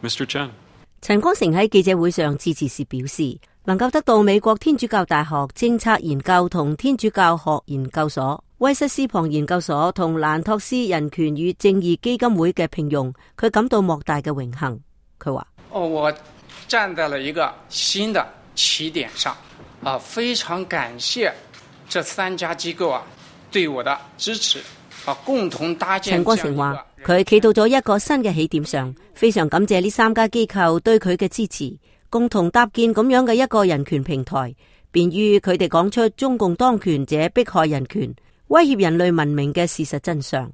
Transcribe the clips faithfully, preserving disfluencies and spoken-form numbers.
Mister Chen。陳光誠喺記者會上致辭時表示，能夠得到美國天主教大學政策研究同天主教學研究所、威瑟斯龐研究所同蘭托斯人權與正義基金會嘅聘用，佢感到莫大嘅榮幸。佢話：哦，我站在了一個新的起點上，啊，非常感謝這三家機構啊對我的支持，啊，共同搭建。陳光誠話：佢企到咗一個新嘅起點上，非常感謝呢三家機構對佢嘅支持，共同搭建咁樣嘅一個人權平台，便於佢哋講出中共當權者迫害人權、威脅人類文明嘅事實真相。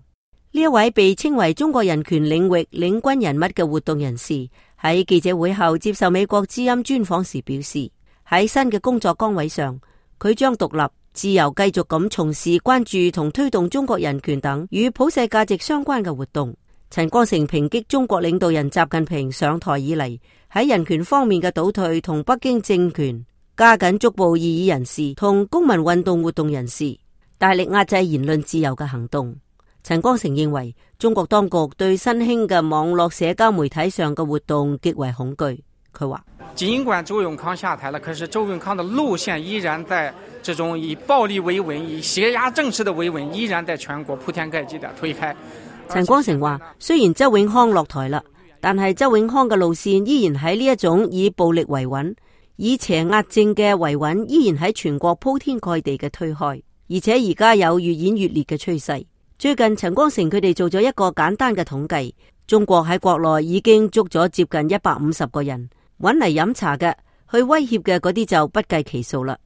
呢一位被稱為中國人權領域領軍人物嘅活動人士喺記者會後接受美國之音專訪時表示，喺新嘅工作崗位上，佢將獨立自由繼續咁從事關注同推動中國人權等與普世價值相關嘅活動。陳光誠抨擊中國領導人習近平上台以嚟喺人權方面嘅倒退，同北京政權加緊捉捕異議人士同公民運動活動人士，大力壓制言論自由嘅行動。陳光誠認為中國當局對新興嘅網絡社交媒體上嘅活動極為恐懼。佢話：儘管周永康下台了，可是周永康的路線依然在這種以暴力為穩、以脅壓政治的為穩，依然在全國鋪天蓋地的推開。陳光誠話：雖然周永康落台啦，但係周永康嘅路線依然喺呢一種以暴力為穩、以邪壓政嘅維穩，依然喺全國鋪天蓋地嘅推開，而且而家有越演越烈嘅趨勢。最近陳光誠佢哋做咗一個簡單嘅統計，中國喺國內已經捉咗接近一百五十個人，搵嚟飲茶嘅、去威脅嘅嗰啲就不計其數啦。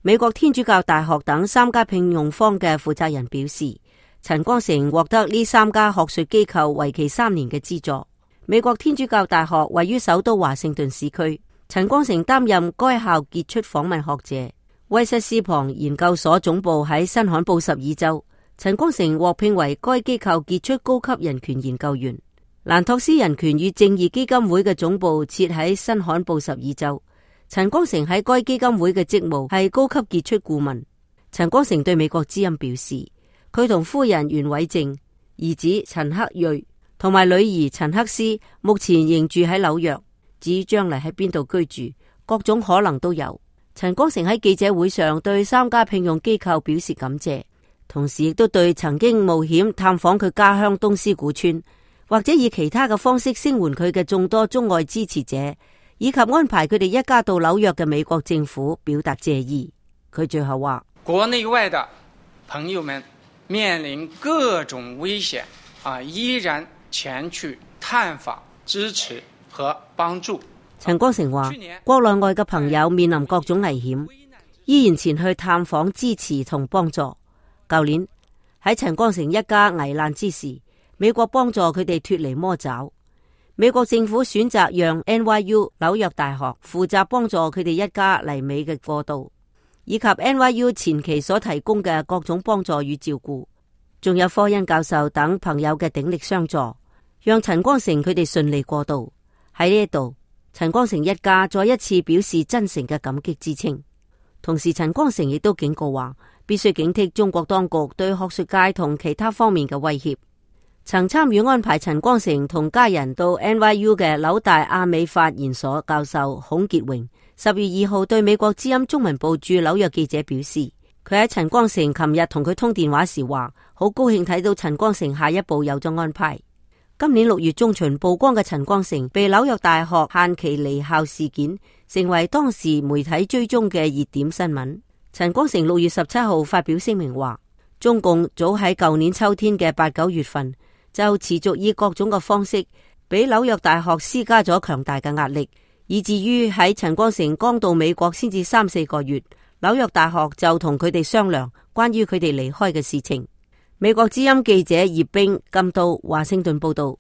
美國天主教大學等三家聘用方嘅負責人表示，陳光誠獲得呢三家學術機構為期三年嘅資助。美國天主教大學位於首都華盛頓市區，陳光誠擔任該校傑出訪問學者。威瑟斯龐研究所總部喺新罕布什爾州，陳光誠獲聘為該機構傑出高級人權研究員。蘭托斯人權與正義基金會嘅總部設喺新罕布什爾州，陳光誠喺該基金會嘅職務係高級傑出顧問。陳光誠對美國之音表示，佢同夫人袁偉靜、兒子陳克瑞同埋女兒陳克斯目前仍住喺紐約，至於將來喺邊度居住，各種可能都有。陳光誠喺記者會上對三家聘用機構表示感謝，同時亦都對曾經冒險探訪佢家鄉東斯古村，或者以其他嘅方式聲援佢嘅眾多中外支持者，以及安排佢哋一家到紐約嘅美國政府表達謝意。佢最後話：國內外的朋友們面臨各種危險啊，依然前去探訪、支持和幫助。陳光誠話：國內外嘅朋友面臨各種危險，依然前去探訪、支持同幫助。舊年喺陳光誠一家危難之時，美國幫助佢哋脫離魔爪。美國政府選擇讓 N Y U 紐約大學負責幫助佢哋一家嚟美嘅過渡，以及 N Y U 前期所提供嘅各種幫助與照顧，仲有科恩教授等朋友嘅鼎力相助，讓陳光誠佢哋順利過渡。喺呢一度，陳光誠一家再一次表示真誠嘅感激之情。同時，陳光誠亦都警告話，必須警惕中國當局對學術界同其他方面嘅威脅。曾參與安排陳光誠同家人到 N Y U 嘅紐大亞美法研所教授孔傑榮，十月二號對美國之音中文部駐紐約記者表示，佢喺陳光誠琴日同佢通電話時話，好高興睇到陳光誠下一步有咗安排。今年六月中旬曝光嘅陳光誠被紐約大學限期離校事件，成為當時媒體追蹤嘅熱點新聞。陳光誠六月十七號發表聲明話，中共早喺舊年秋天嘅八九月份就持續以各種嘅方式俾紐約大學施加咗強大嘅壓力，以至於喺陳光誠剛到美國先至三四個月，紐約大學就同佢哋商量關於佢哋離開嘅事情。美國之音記者葉冰監督華盛頓報道。